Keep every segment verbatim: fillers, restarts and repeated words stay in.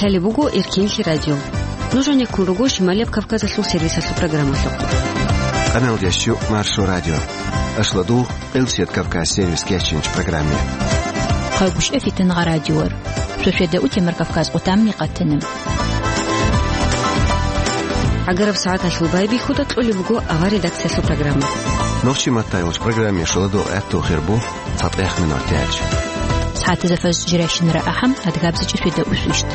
Лъалеб буго Эркенлъи радио. Нуж гьанеккун руго Шималияб Кавказалъул сервисалъул программалъухъ. Къаналдеш чу Маршо радио. Ашладул Элсет Кавказ сервис кечинч программе. Хъагушев Фитнагъа радиор. Шошеда утемар Кавказ къутамни къатана. Агараб сагӀаталъул байбихьуда кьолеб буго авар редакциялъул программа. Нохчи маттайулч программе шоладо этту хирбу. ЦатӀехъ минуталъ. СагӀатазда фаз жирайщинара ахӀам, адгабзичӀи шведа усвищт.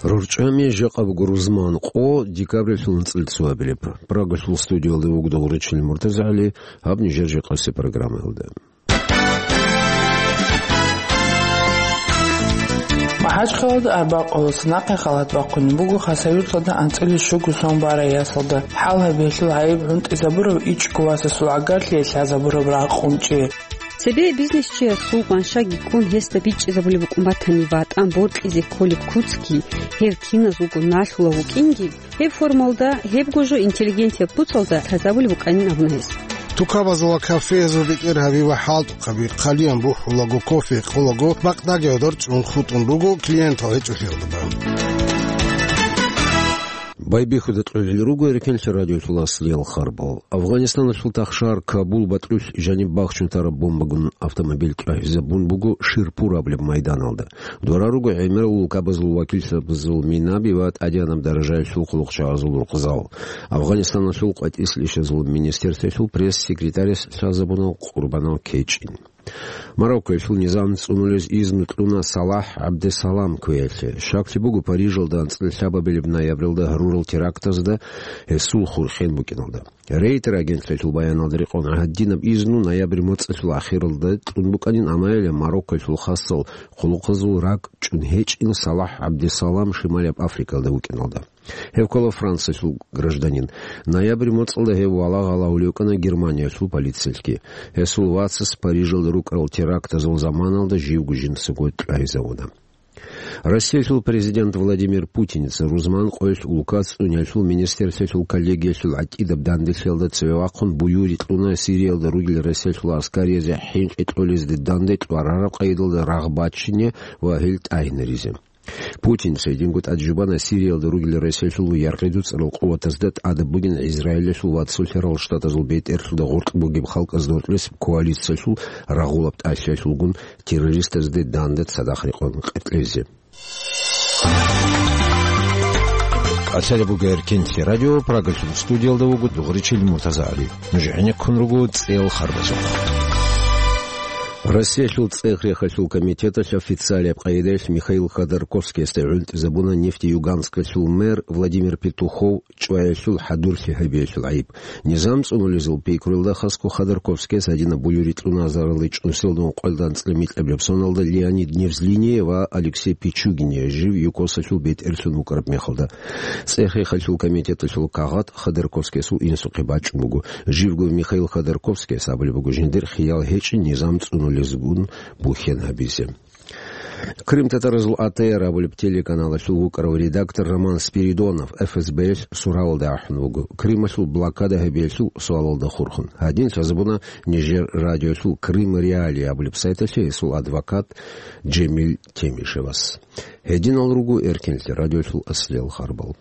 РорчӀами жакъа буго рузман къо декабралъул анцӀил цоабилеб. Прагалъул студиялда вугода гъуричил МуртазагӀали, гьаб нижер жакъасе программаялда. МахӀачхъалада арбакъуласа нахъе халат бахъунеб буго Хасавюрталда анцӀила щуго сон барай ясалда. ХӀал гьабиялъул гӀайиб гӀунтӀизабурав ичӀго васасул гӀагарлъи лъазабураб рагъ къунчӀи. Цебе бизнесчиясул къваншаги ккун гьесда бичӀчӀизабулеб букӀун батани, ватӀан бокьизе кколеб куцги, гьев киназулго налъулав вукӀинги, гьеб формалда, гьебго жо интеллигенцияб куцалда лъазабулеб букӀанин абуна гьес. Тукабазул ва кафеязул бетӀергьаби ва хӀалтӀухъаби хъалиян бухӀулаго, кофе къолаго, бакъдаги гӀодор чӀун хутӀун буго клиентал гьечӀолъиялда бан. Байбихьуда кьолел руго Эркенлъи радиолъул аслиял харбал. Афганистаналъул тахшар Кабул батӀрулъ жаниб бахчун тараб бомбагун автомобиль тӀагьизабун буго Ширпур абулеб майданалда. Дора руго гӀемерал улкабазул вакилзабазул минаби ва тӀадегӀанаб даражаялъул хъулухъчагӀазул рукъзал. Афганистаналъул къватӀислъищазул министерствоялъул пресс-секретарас лъазабуна къурбанал кечӀин. Мароккоялъул низам цӀунулез изну кьуна Салахь ГӀабдесалам кквеялъе. Щаклъи буго, Парижалда анцӀила лъабабилеб ноябралда гьарурал терактазда гьесул хурхен букӀиналда. Рейтер агентствоялъул баяналда рекъон гьадинаб изну ноябрь моцӀалъул ахиралда кьун букӀанин, амма гьеле Мароккоялъул хасал хъулухъазул ракӀ чӀун гьечӀин Салахь ГӀабдесалам Шималияб Африкалда вукӀиналда. Гьев ккола Франциялъул гражданин. Ноябрь моцӀалда гьев валагьал гьавулев вукӀана Германиялъул полициялъги. Гьесул вацас Парижалда рукӀарал терактазул заманалда живго жинцаго тӀагьизавуна. Россиялъул президент Владимир Путинца рузман къоялъ улкац цӀуниялъул министерствоялъул коллегиялъул гӀатӀидаб данделъиялда цеве вахъун буюри кьуна Сириялда ругел Россиялъул аскариязде хӀинкъи кьолезде данде тӀварараб къайдалда рагъ бачине ва гьел тӀагьинаризе. Путинца гьединго тӀад жубана Сириялда ругел Россиялъул яргъи дуцӀарал къуватазда тӀадаб бугин Израилалъул ва Цолъарал Штатазул бетӀерлъуда гъоркь бугеб халкъазда гьоркьес коалициялъул рагъулаб тӀалъиялъулгун террористазде данде цадахъ рекъон къеркьезе. Лъалеб буго Эркенлъи радио, Прагалъул студиялда вуго дугъричил МуртазагӀали. Нуж гӀенеккун руго цӀел харбазухъ. Россиялъул цӀех-рехалъул комитеталъ официалияб къайдаялъ Михаил Ходорковскиясда гӀунтӀизабуна Нефтеюганскалъул мэр Владимир Петухов чӀваялъул хӀадурлъи гьабиялъул гӀайиб. Низам цӀунулезул пикруялда хасго Ходорковскияс гьадинаб буюри кьуна азарилда чӀунсилалда ункъоялда анцӀила микьабилеб соналда Леонид Невзлиния ва Алексей Пичугиния жив ЮКОСалъул бетӀерлъун вукӀараб мехалда. ЦӀех-рехалъул комитеталъул кагъат Ходорковскиясул инсухъе бачӀун буго. Живго Михаил Ходорковскияс абулеб буго жиндир хиял гьечӀин низам цӀунулезгун бухьен гьабизе. Крымтатаразул А Т Р абулеб телеканалалъул вукӀарав редактор Роман Спиридонов Ф С Б-ялъ суравалда ахӀун вуго, Крымалъул блокада гьабиялъул суалалда хурхун. Гьадин лъазабуна нижер радиолъул Крым Реалии абулеб сайталъе гьесул адвокат Джемил Темишевас. Гьединал руго Эркенлъи радиолъул аслиял харбал.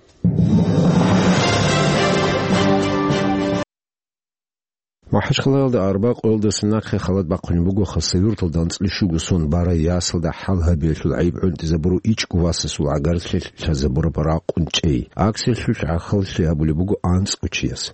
МахӀачхъалаялда арба къоялдаса нахъе халат бахъунеб буго Хасавюрталда анцӀила щуго сон барай ясалда хӀал гьабиялъул гӀайиб гӀунтӀизабурав ичӀго васасул гӀагарлъи лъазабураб рагъ къунчӀей. Акциялъулъ гӀахьаллъи гьабулеб буго анцӀго чияс.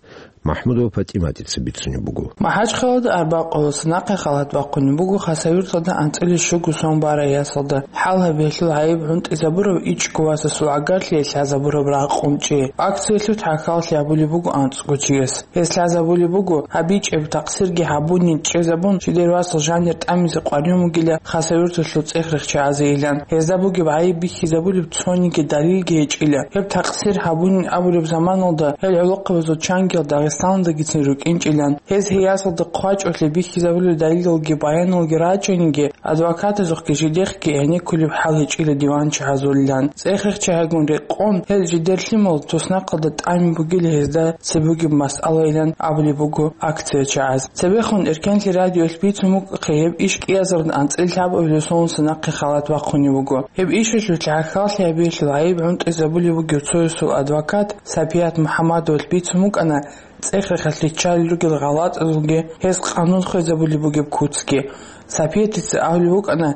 МахӀмудова ПатӀиматица бицунеб буго. МахӀачхъалада арба къоялдаса нахъе халат бахъунеб буго Хасавюрталда анцӀила щуго сон барай ясалда хӀал гьабиялъул гӀайиб гӀунтӀизабурав ичӀго васасул гӀагарлъи лъазабураб рагъ къунчӀей. Акциялъулъ гӀахьаллъи гьабулеб буго анцӀго чияс. Гьес лъазабулеб буго, гьаб бичӀчӀи тахсирги гьабунин чӀезабун, жидер васал жанир тӀамизе къваригӀун вугила Хасавюрталъул цӀех-рехчагӀазейилан. Гьезда бугеб гӀайиб бихьизабулеб цониги далилги гьечӀила. Гьеб тахсир гьабунин абулеб заманалда гьел гӀолохъабазул чангиял Дагъистаналдагицин рукӀинчӀилан, гьез гьей ясалда хъвачӀолъи бихьизабулел далилалги баяналги рачӀаниги, адвокатазухъги жидехъги гӀенеккулеб хӀал гьечӀила диванчагӀазулилан. ЦӀехрехъ чагӀигун рекъон, гьел жидер лъимал туснахъалда тӀами бугила гьезда цебе бугеб масъалайилан абулеб буго акция чагӀаз. Цебехун Эркенлъи радиоялъ бицун букӀахъе гьеб иш кӀиазарда анцӀила лъабабилеб соналъ нахъе халат бахъунеб буго. Гьеб ишалъулъ гӀахьаллъи гьабиялъул гӀайиб гӀунтӀизабулеб бугев цоясул адвокат Сапият МухӀаммадовалъ бицун букӀана, цӀехрехъалъ риччалел ругел гъалатӀазулги гьез къанун хвезабулеб бугеб куцги. Сапиятица абулеб букӀана,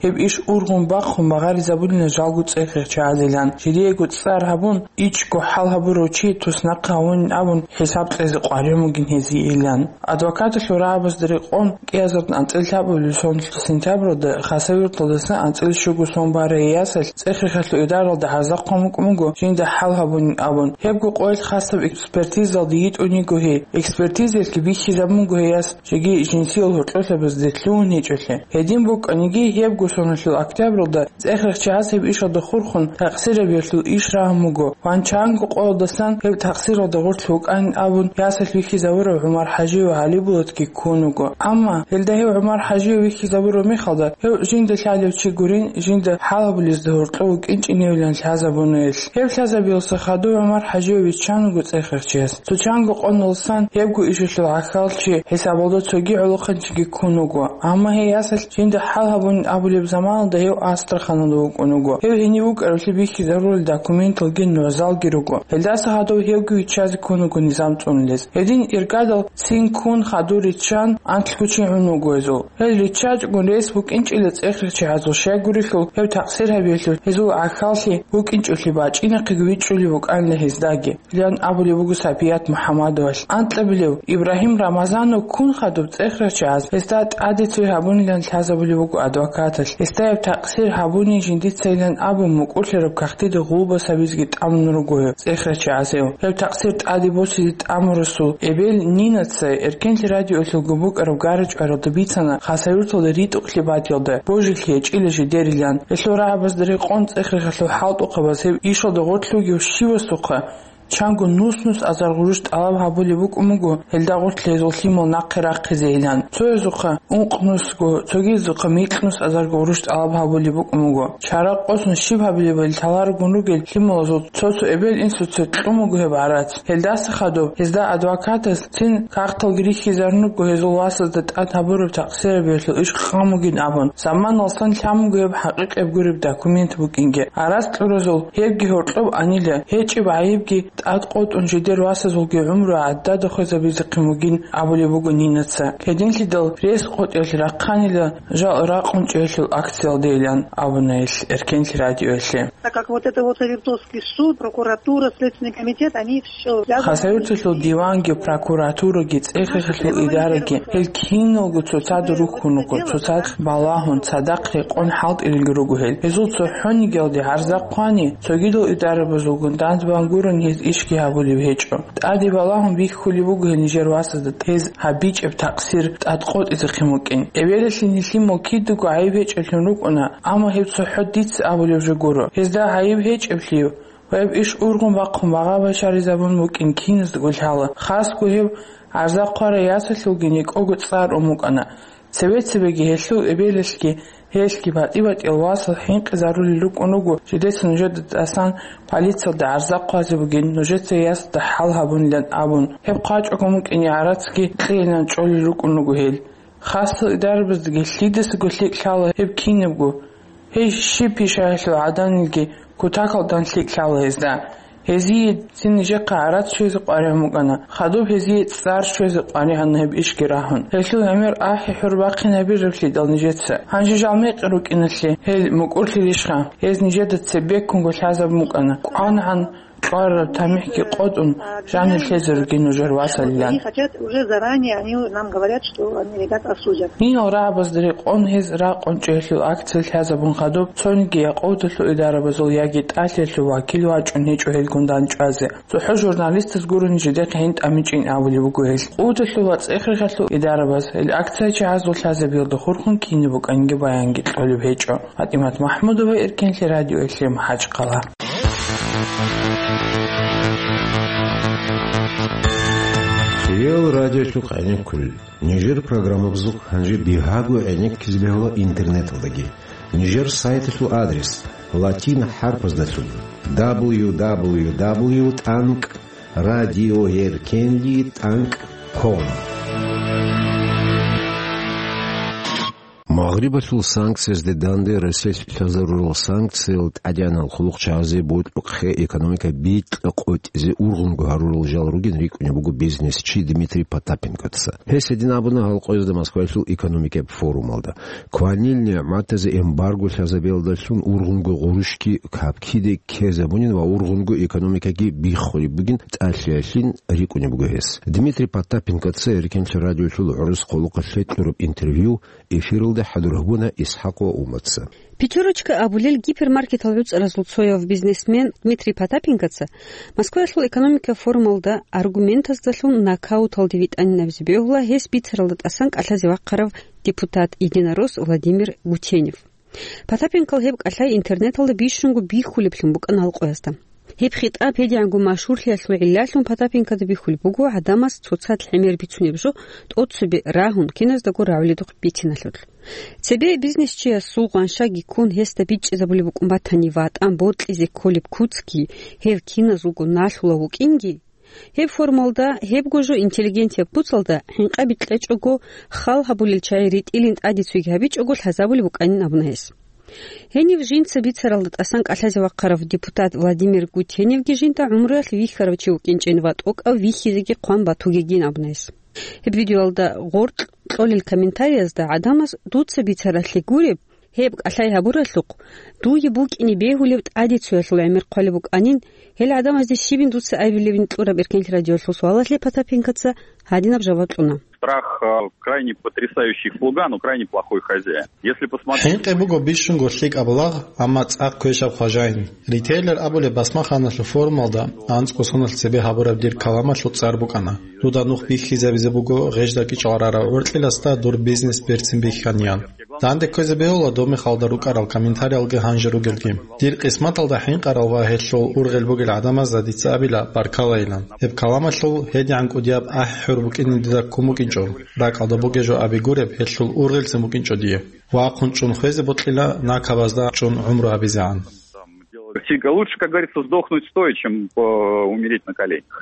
гьеб иш ургъун бахъун магъаризабулина жалго цӀехрехъ чагӀазилан, жидеего цӀар гьабун, ичӀго хӀал гьабурав чи туснахъе гьавунин абун хӀисаб кьезе къваригӀун бугин гьезиеилан. Адвокаталъул рагӀабазда рекъон, кӀиазарда анцӀила лъабабилеб соналъ сентябралда Хасавюрталдасан анцӀила щуго сон барай ясалъ цӀехрехъалъул идаралда гӀарза хъван букӀун буго, жинда хӀал гьабунин абун. Гьебго къоялъ хасаб экспертизалде йитӀун йиго гьей. Экспертизаялъги бихьизабун буго гьей яс жеги жинсиял гьоркьолъабазде лъугьун гьечӀолъи. Гьедин букӀаниги, гьебго соналъул октябралда цӀехрехъ чагӀаз гьеб ишалда хурхун такъсир гьабиялъул иш рагьун буго. Ванчанго къоялдасан гьеб такъсиралда гъорлъ вукӀанин абун, ясалъ вихьизавурав ГӀумар ХӀажиев ГӀалибулатги ккун вуго. Амма гьелда гьев ГӀумар ХӀажиев вихьизабураб мехалда, гьев жинда лъалев чи гурин, жинда хӀал гьабулезда гьоркьов вукӀинчӀиневилан лъазабуна гьелъ. Гьев лъазабиялъа хадув ГӀумар ХӀажиев виччан вуго цӀехрехъ чияс. Цо чанго къоялдасан гьебго ишалъул гӀахьаллъи хӀисабалда цоги гӀолохъанчиги ккун вуго. Амма гьей ясалъ жинда хӀал гьабунин абулеб заманалда гьев Астраханалда вукӀун вуго. Гьев гьенив вукӀаравлъи бихьизарурел документалги нугӀзалги руго. Гьелдаса хадув гьевги виччазе ккун вуго низам цӀунулез. Гьедин иргадал цин ккун хадур риччан анлъго чи гӀун вуго гьезул. Гьел риччачӀогун рес букӀинчӀила цӀехрехъ чагӀазул, щайгурелъул гьев такъсир гьабиялъул гьезул гӀахьаллъи букӀинчӀолъи бачӀинахъеги вичӀчӀулеб букӀанила гьездаги. Лан абулеб буго Сапият МухӀаммадовалъ. Анкьабилев Ибрагьим Рамазанов ккун хадуб цӀехрехъ чагӀаз гьесда тӀаде цой гьабунилан лъазабулеб буго адвокаталъ. Гьесдаяб такъсир гьабунин жиндицайилан абун, мукӀурлъараб кагътида гъулбас гьабизеги тӀамун руго гьев цӀехрехъ чагӀазев. Гьеб такъсир тӀаде босизе тӀамурасул эбел Нинаца Эркенлъи радиоялъулго букӀараб гара-чӀваралда бицана Хасавюрталда ритӀухълъи батӀиялда божилъи гьечӀила жидерилан. Гьелъул рагӀабазда рекъон цӀехрехъалъул хӀалтӀухъабаз гьеб ишалда гъорлъ вугев щивасухъа чанго нус-нус азар гъурущ тӀалаб гьабулеб букӀун буго, гьелда гъорлъ гьезул лъимал нахъе рахъизейилан. Цоязухъа ункънусго, цогидазухъа микьнус азарго гъурущ тӀалаб гьабулеб букӀун буго. Чара къосун щиб гьабилебали лъаларогун ругел лъималазул цо-цо эбел-инсуца кьун буго гьеб гӀарац. Гьелдаса хадуб гьезда адвокатас цин кагъталги рихьизарун руго гьезул васазда тӀад гьабураб такъсир гьабиялъул иш хъан бугин абун. Заманалсан лъан буго гьеб хӀакъикъаб гуреб документ букӀинги. Гьарац кьуразул гьебги гьоркьоб анила, гьечӀеб гӀайибги тӀад къотӀун жидер васазулги гӀумру гӀадада хвезабизехъин бугин абулеб буго Нинаца. Гьединлъидал рес къотӀиялъ рахъанила жал ракъун чӀеялъул акциялдейилан абуна гьелъ Эркенлъи радиоялъе. Так как вот это вот Савертовский суд, прокуратура, Следственный комитет, они все связаны. Хасавюрталъул диванги, прокуратураги, цӀехрехъалъул идараги, гьел киналго цоцазда рухьун руго, цоцазда балагьун, цадахъ рекъон хӀалтӀилелги руго гьел. Гьезул цохӀонигиялде гӀарза хъвани, цогидал идарабазулгун данде бан гурони гьез ишги гьабулеб гьечӀо. ТӀаде балагьун бихьулеб буго гьел нижер васазда гьез гьабичӀеб такъсир тӀад къотӀизехъин букӀин. Эбелалъе нилъее кидаго гӀайиб гьечӀеблъун рукӀуна, амма гьеб цохӀо дица абулеб жо гуро. Гьезда гӀайиб гьечӀеблъи ва гьеб иш ургъун бахъун багъа-башаризабун букӀин киназдаго лъала. Хасго гьеб гӀарза хъварай ясалъулги некӀого цӀар ун букӀана. Цебе-цебеги гьелъул эбелалъги гьелъги батӀи-батӀиял васал хӀинкъизарулел рукӀун руго, жидеца нужеда тӀасан полициялда гӀарза хъвазе бугин, нужеца ясалда хӀал гьабунилан абун. Гьеб хъвачӀого букӀине гӀарацги кьейилан чӀолел рукӀун руго гьел. Хасал идарабаздаги лъидасаго лъикӀ лъала гьеб кинабго. Гьей щиб пишаялъул гӀаданилги кутакалдан лъикӀ лъала гьезда. Гьезие цин нижехъа гӀарац щвезе къваригӀун букӀана, хадуб гьезие цӀар щвезе къваригӀана гьеб ишги рагьун. Гьелъул гӀемер ахӀи-хӀур бахъин гьабиралъидал нижеца. Гьанже жал мекъи рукӀиналъе гьел мукӀурлъилищха? Гьез нижеда цебеккунго лъазабун букӀана. КӀванагӀан кьвараб тамихӀги къотӀун, жанир лъезе ругин нужер васалилан. Они хотят уже заранее, они нам говорят, что они ребят осудят. Гьинал рагӀабазда рекъон гьез ракъун чӀеялъул акция лъазабун хадуб, цониги якъулдалъул идарабазул яги тӀалъиялъул вакил вачӀун гьечӀо гьелгун дандчӀвазе. ЦохӀо журналистаз гурони жидехъе гьин тӀамичӀин абулеб буго гьел. Къулдалъул ва цӀехрехъалъул идарабаз гьел акция чагӀазул лъазабиялда хурхун кинаб букӀанги баянги кьолеб гьечӀо. ПатӀимат МахӀмудова, Эркенлъи радиоялъе, МахӀачкъала. Ил радиолъухъ гӀенеккулел. Нижер программабазухъ гьанже бигьаго гӀенеккизе бегьула интернеталдаги. Нижер сайталъул адрес латин хӀарпаздалъун: дабл ю дабл ю дабл ю тӀанкӀ радиоеркенлъи тӀанкӀ ком. Магърибалъул санкциязде данде Россиялъ лъазарурал санкциял тӀадегӀанал хъулухъчагӀазе бокьухъе экономика бикьа-къотӀизе ургъунго гьарурал жал ругин рикӀкӀунеб буго бизнесчи Дмитрий Потапенкоца. Гьес гьедин абуна гьал къоязда Москваялъул экономикаб форумалда. Кванил нигӀматазе эмбарго лъазабиялдалъун ургъунго гъурущги капкиде ккезабунин ва ургъунго экономикаги биххулеб бугин тӀалъиялъин рикӀкӀунеб буго гьес. Дмитрий Потапенкоца Эркенлъи радиолъул гӀурус хъулухъалъе кьураб интервью эфиралда хӀадур гьабуна ИсхӀакъ ва Умаца. «Пятерочка» абулел гипермаркетал гӀуцӀаразул цояв бизнесмен Дмитрий Потапенкоца Москваялъул экономика форумалда аргументаздалъун нокауталде витӀанин абизе бегьула гьес бицаралда тӀасан кӀалъазе вахъарав депутат-единорос Владимир Гутенев. Потапенкол гьеб кӀалъай интернеталда бищунго бихьулеблъун букӀана гьал къоязда. Гьеб хитӀаб гьедигӀанго машгьурлъиялъул гӀиллалъун Потапенкода бихьулеб буго гӀадамаз цоцазда гӀемер бицунеб жо тӀоцебе рагьун, киназдаго рагӀуледухъ бициналъул. Цебе бизнесчиясул гъаншаги ккун, гьесда бичӀчӀизабулеб букӀун батани, ватӀан бокьизе кколеб куцги гьев киназулго налъулав вукӀинги, гьеб форумалда гьебго жо интеллигенцияб куцалда хӀинкъаби кьечӀого, хал гьабулел чагӀи ритӀилин тӀаде цойги гьабичӀого лъазабулеб букӀанин абуна гьес. Гьенив жинца бицаралда тӀасан кӀалъазе вахъарав депутат Владимир Гутеневги жинда гӀумруялъ вихьарав чи вукӀинчӀин ва тӀокӀав вихьизеги хъван батугейин абуна гьес. Гьеб видеоялда гъоркь кьолел комментариязда гӀадамаз «Дуца бицаралъе гуреб, гьеб кӀалъай гьабуралъухъ, дуе букӀине бегьулеб тӀаде цоялъул гӀемер хъвалеб букӀанин, гьел гӀадамазде щибин дуца абилебин?» кьураб Эркенлъи радиоялъул суалалъе Потапенкоца гьадинаб жаваб кьуна. Страх, э, крайне потрясающий слуга, но крайне плохой хозяин. Если посмотреть... ХӀинкъи буго бищунго лъикӀаб лагъ, амма цӀакъ квешаб хважаин. Ритейлер абулеб басмаханалъул форумалда анцӀго соналъ цебе гьабураб дир каламалъул цӀар букӀана: «Дуда нух бихьизабизе буго гъежда кӀичӀал рарав гӀоркьиласда дур бизнес берцин бихьаниян». Данде кквезе бегьула доб мехалда рукӀарал комментариялги гьанже ругелги. Дир къисматалда хӀинкъарал ва гьелъул ургъел бугел гӀадамазда дица абила баркалайилан. Гьеб каламалъул гьедигӀан кӀудияб ахӀи-хӀур букӀине дида ккун букӀинчӀо. РакӀалда бугеб жо абигуреб, гьелъул ургъелцин букӀинчӀо дие. Вахъун чӀун хвезе бокьила, накабазда чӀун гӀумру гьабизегӀан. Всегда лучше, как говорится, сдохнуть стоя, чем, э, умереть на коленях.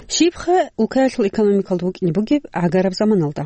Щибха улкаялъул экономикалда букӀине бугеб гӀагараб заманалда?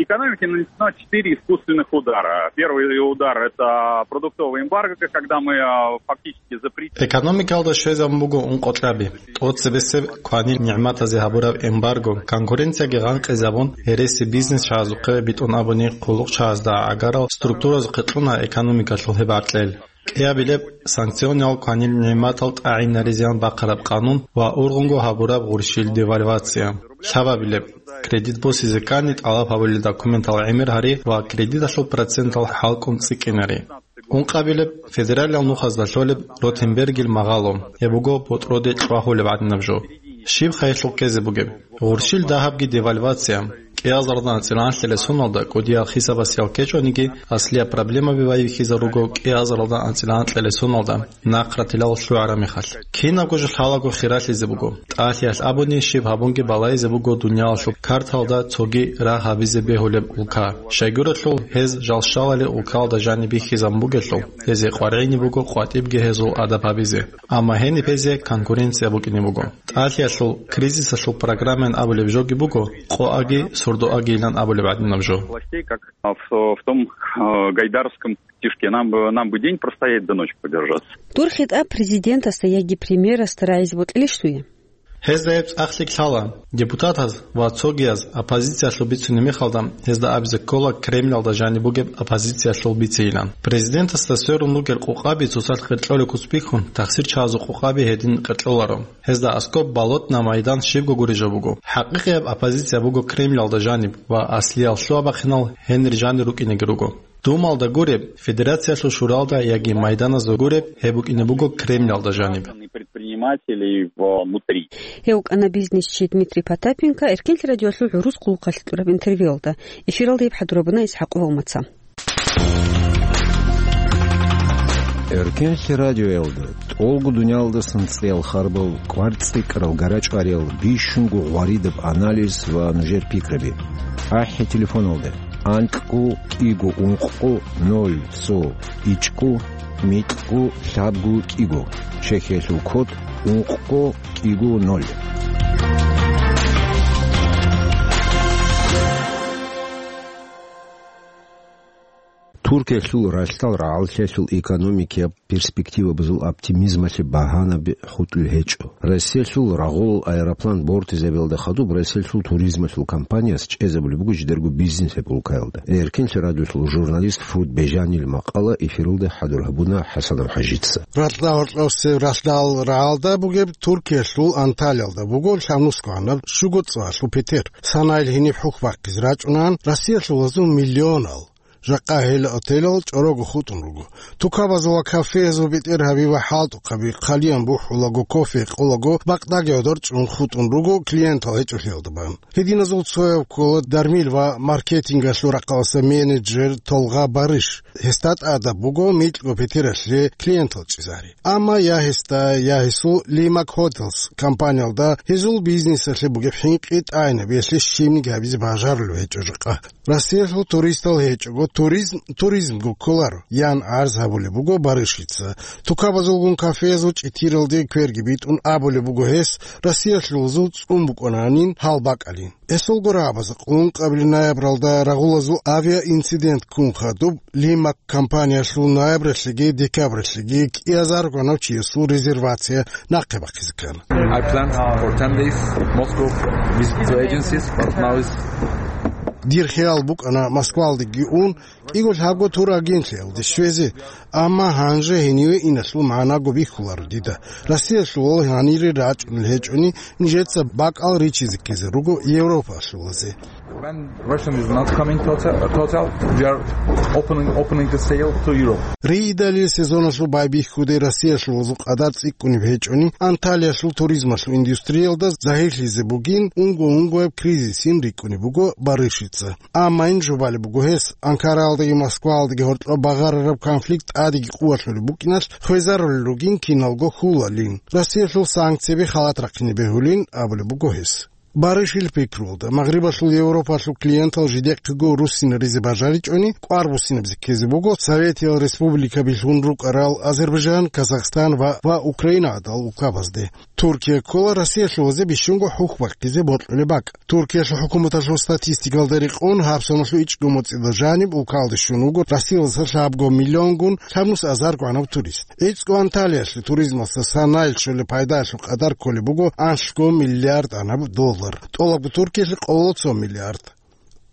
Экономике нанесено четыре искусственных удара. Первый удар — это продуктовый эмбарго, когда мы, э, фактически запретили. Экономикалда щвезабун буго ункъо кьаби. ТӀоцебесеб кванил нигӀматазе гьабураб эмбарго, конкуренцияги гъанкъизабун, гьереси бизнесчагӀазухъе, битӀун абуни, хъулухъчагӀазда гӀагарал структуразухъе кьуна экономикалъул гьеб гӀаркьел. КӀиабилеб, санкциониял кванил нигӀматал тӀагӀинаризеян бахъараб къанун ва ургъунго гьабураб гъурщил девальвация. Лъабабилеб, кредит босизе ккани тӀалаб гьабулел документал гӀемер гьари ва кредиталъул процентал хӀалкӀун цӀикӀкӀинари. Ункъабилеб, федералиял нухазда лъолеб Ротенбергил магъало, гьеб буго ботӀроде чӀвагьулеб гӀадинаб жо. Щиб хъайилъул ккезе бугеб? Гъурщил дагьабги девальвация. КӀиазаралда анцӀила анлъилел соналда кӀудиял хисабасиял ккечӀониги, аслияб проблемаби байбихьизар руго кӀиазаралда анцӀила анкьилел соналда, нахъратилал лъугӀараб мехалъ. Кинабго жо лъалаго хиралъизе буго. ТӀалъиялъ абуни, щиб гьабунги балайзе буго дуниялалъул карталда цоги рагь гьабизе бегьулеб улка. Щайгурелъул, гьез жал щалалел улкалда жаниб бихьизабун бугелъул, гьезие къваригӀине буго къватӀибги гьезул адаб гьабизе. Амма гьениб гьезие конкуренция букӀине буго. ТӀалъиялъул кризисалъул программаян абулеб жоги буго, къоаги сурдоагийилан абулеб гӀадинаб жо. Властей, как в, в том, э, гайдаровском стишке: «Нам бы, нам бы день простоять, да ночь продержаться». Дур хитӀаб президентасда яги премьерасда рагӀизе бокьилищ дуе? Гьезда гьеб цӀакълъи лъала. Депутатаз ва цогияз оппозициялъул бицунеб мехалда, гьезда абизе ккола Кремльалда жаниб бугеб оппозициялъул бицейилан. Президентасда сверун ругел къукъаби цоцалъ къеркьолеб куц бихьун, тахсирчагӀазул къукъаби гьедин къеркьоларо. Гьезда аскӀоб Болотная, Майдан щибго гурищ жо буго. ХӀакъикъияб оппозиция буго Кремльалда жаниб ва аслиял лъугьа-бахъинал гьенир жанир рукӀинеги руго. Думалда гуреб, Федерациялъул шуралда яги Майданазда гуреб, гьеб букӀине буго Кремльалда жаниб. Предпринимателей внутри. Гьев вукӀана бизнесчи Дмитрий Потапенко Эркенлъи радиоялъул гӀурус хъулухъалъе кьураб интервьюялда. Эфиралда гьеб хӀадурабуна ИсхӀакъ Валмаца. Эркенлъи радиоялда тӀолго дуниялдасан цӀиял харбал, кӀвар-цӀикӀкӀарал, гарачӀвариял, бищунго гъваридаб анализ ва нужер пикраби. АхӀи телефоналда: анкьго кӀиго ункъго ноль цо ичӀго микьго лъабго кӀиго, Чехиялъул код ункъго кӀиго ноль. Туркиялъул ралъдал рагӀаллъиялъул экономикияб перспективабазул оптимизмалъе багьанаби хутӀулел гьечӀо. Россиялъул рагъулал аэроплан бортизабиялда хадуб Россиялъул туризмалъул компанияс чӀезабулеб буго жидерго бизнес гьеб улкаялда. Эркенлъи радиолъул журналист Фруд Бежанил макъала эфиралда хӀадур гьабуна ХӀасанов ХӀажица. Ралъдал гьоркьосеб ралъдал рагӀалда бугеб Туркиялъул Анталиялда буго лъабнусго гӀанаб щуго цӀалъул петер. Санайил гьениб хӀухь бахъизе рачӀунан, Россиялъулазул миллионал. Жакъа гьел отелал чӀорого хутӀун руго. Тукабазул ва кафеязул бетӀергьаби ва хӀалтӀухъаби хъалиян бухӀулаго, кофе гьекъолаго, бакъдаги гӀодор чӀун хутӀун руго, клиентал гьечӀолъиялда бан. Гьединазул цояб ккола дармил ва маркетингалъул рахъалъа менеджер Толгъа Барыш. Гьесда тӀадаб буго микьго петералъе клиентал чӀезе гьари. Амма я гьесда, я гьесул Лимак Хотелс компаниялда гьезул бизнесалъе бугеб хӀинкъи тӀагӀинабиялъе щибниги гьабизе бажарулеб гьечӀо жакъа. Россиялъул туристал гьечӀого туризм туризмго кколаро, ян гӀарз гьабулеб буго Барышица. Тукабазулгун кафеязул чӀитиралде кверги битӀун абулеб буго гьес, Россиялъулазул цӀун букӀунанин гьал бакӀалин. Эсулго рагӀабазда къулун къабили ноябралда рагъулазул авиаинцидент ккун хадуб, Лимак компаниялъул ноябралъеги декабралъеги кӀиазар гьанав чиясул резервация нахъе бахъизе ккана. I planned for ten days Moscow visit to agencies, but now is Дир хиял букӀана Москвалдеги ун, кӀиго лъабго турагентлъиялде щвезе, амма гьанже гьениве иналъул магӀнаго бихьуларо дида. Россиялъул гьанире рачӀунел гьечӀони, нижеца бакӀал ричизе ккезе руго Европалъулазе. When Russian is not coming to hotel, to hotel, we are opening, opening the sale to Europe. Рейдалил сезоналъул байбихьуде Россиялъулазул къадар цӀикӀкӀунеб гьечӀони, Анталиялъул туризмалъул индустриялда загьирлъизе бугин, унго-унгояб кризисин рикӀкӀунеб буго Барышица. Амма ин жубалеб буго гьес, Анкараялдаги Москваялдаги гьоркьоб багъарараб конфликт тӀадеги къуваталъулеб букӀиналъ хвезарулел ругин киналго хьулалин. Россиялъул санкцияби халат рахъине бегьулин абулеб буго гьес. Барышил пикруялда, Магърибалъул Европалъул клиентал жидехъего руссинаризе бажаричӀони, кӀвар буссинабизе ккезе буго Советиял Республикаби лъун рукӀарал Азербайджан, Казахстан ва, ва Украина гӀадал улкабазде. Туркия ккола Россиялъулазе бищунго хӀухь бахъизе бокьулеб бакӀ. Туркиялъул хӀукуматалъул статистикалда рекъон, гьабсаналъул ичӀго моцӀида жаниб улкалде щун вуго Россиялдаса лъабго миллионгун лъабнус азар гӀанав турист. ГӀицӀго Анталиялъе туризмалъа санайил щолеб пайдаялъул къадар кколеб буго анлъго миллиард гӀанаб доллар, тӀолабго Туркиялъе къоло цо миллиард.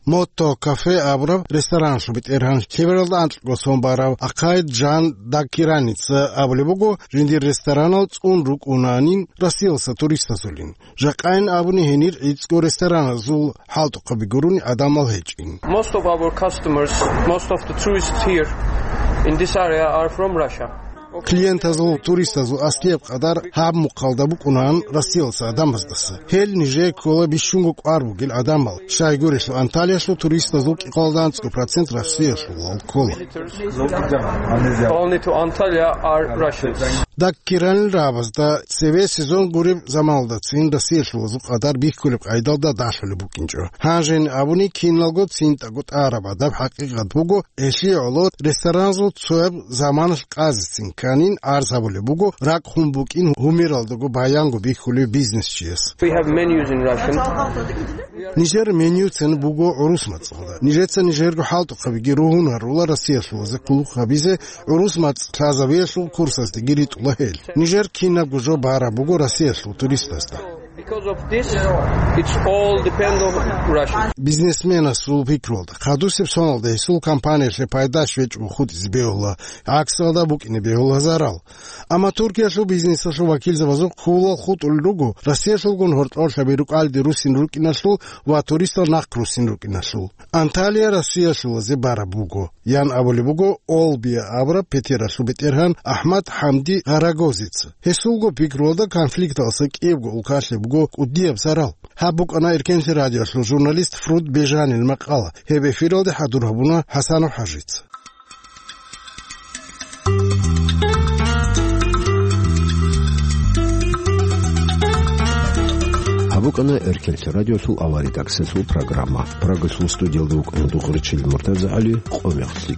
Мотто кафе абураб рестораналъул бетӀергьан, лъебералда анкьго сон барав Акъайд Жан Даккираница абулеб буго, жиндир ресторанал цӀун рукӀунанин Россиялдаса туристазулин. Жакъайин абуни гьенир гӀицӀго рестораназул хӀалтӀухъаби гурони гӀадамал гьечӀин. Most of our customers, most of the tourists here in this area are from Russia. Клиентазул, туристазул аслияб къадар гьаб мухъалда букӀунан Россиялдаса гӀадамаздаса. Гьел нижее ккола бищунго кӀвар бугел гӀадамал, щайгурелъул Анталиялъул туристазул кӀикъоялда анцӀго процент Россиялъулал ккола. Only to Antalya are Russians. Даккиранил рагӀабазда цеве сезон гуреб заманалдацин Россиялъулазул къадар бихьулеб къайдалда далъулеб букӀинчӀо. Гьанжени абуни, киналго цинтӀаго тӀараб гӀадаб хӀакъикъат буго, гьелъие гӀоло рестораназул цояб заманалъ къазецин кканин гӀарз гьабулеб буго ракӀ хун букӀин гьумералдаго баянго бихьулев бизнесчияс. We have menus in Russian. Нижер менюцин буго гӀурус мацӀалда. Нижеца нижерго хӀалтӀухъабиги ругьун гьарула Россиялъулазе кколухъ гьабизе, гӀурус мацӀ лъазабиялъул курсаздаги ритӀула гьел. Нижер кинабго жо бараб буго Россиялъул туристазда. Because of this, it's all depend on Russia. Бизнесменасул пикруялда, хадусеб соналда гьесул компаниялъе пайда щвечӀого хутӀизе бегьула, гӀаксалда букӀине бегьула зарал. Амма Туркиялъул бизнесалъул вакилзабазухъ хьулал хутӀулел руго Россиялъулгун гьоркьорлъаби рукӀалде руссин рукӀиналъул ва туристал нахъ руссин рукӀиналъул. Анталия Россиялъулазе бараб буго, ян абулеб буго Олбия абураб петералъул бетӀергьан АхӀмад ХӀамди Гъарагозица. Гьесулго пикруялда, конфликталъа кӀиябго улкалъе буго кӀудияб зарал. Гьаб букӀана Эркенлъи радиолъул журналист Фруд Бежанил макъала. Гьеб эфиралде хӀадур гьабуна ХӀасанов ХӀажица. БукӀана Эркенлъи радиолъул авария таксилъул программа. Прагалъул студиялда вукӀана Дугъричил МуртазагӀали, къо мехлъи.